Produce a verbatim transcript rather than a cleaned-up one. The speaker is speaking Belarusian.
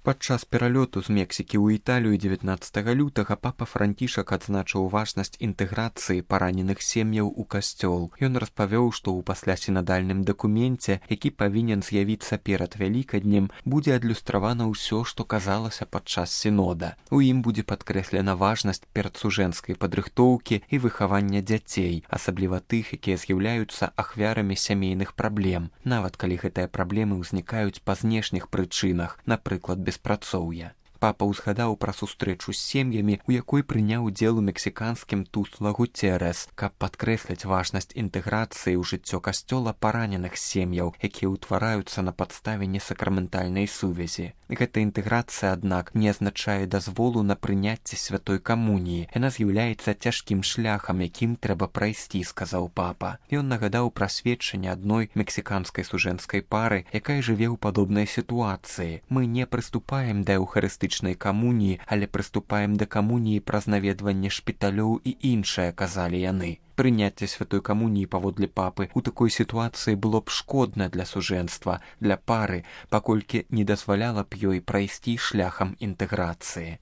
Падчас пералёту з Мексікі ў Італію дзевятнаццатага лютага папа Францішак адзначыў важнасць інтэграцыі параненых сем'яў у касцёл. Ён распавёў, што ў паслясінадальным дакуменце, які павінен з'явіцца перад Вялікаднем, будзе адлюстравана ўсё, што казалася падчас сінода. У ім будзе падкрэслена важнасць перадсужэнскай падрыхтоўкі і выхавання дзяцей, асабліва тых, якія з'яўляюцца ахвярамі сямейных праблем, нават калі гэтыя праблемы ўзнікаюць па знешніх прычынах, напрыклад, беспрацоўя. Папа ўзгадаў пра сустрэчу з сем'ямі, у якой прыняў удзел у мексіканскім Тусла Гуцерес, каб падкрэсліць важнасць інтэграцыі ў жыццё касцёла параненых сем'яў, якія ўтвараюцца на падставе несакраментальнай сувязі. Гэта інтэграцыя, аднак, не азначае дазволу на прыняцце святой камуніі. Яна з'яўляецца цяжкім шляхам, якім трэба прайсці, сказаў папа. Ён нагадаў пра сведчанне адной мексіканскай сужэнскай пары, якая жыве ў падобнай сітуацыі. Мы не прыступаем да эўхарыстычнай камуніі, але прыступаем да камуніі праз наведванне шпіталёў і іншае, казалі яны. Прыняцце святой камуніі паводле папы ў такой сітуацыі было б шкодна для сужэнства, для пары, паколькі не дазваляла б ёй прайсці шляхам інтэграцыі.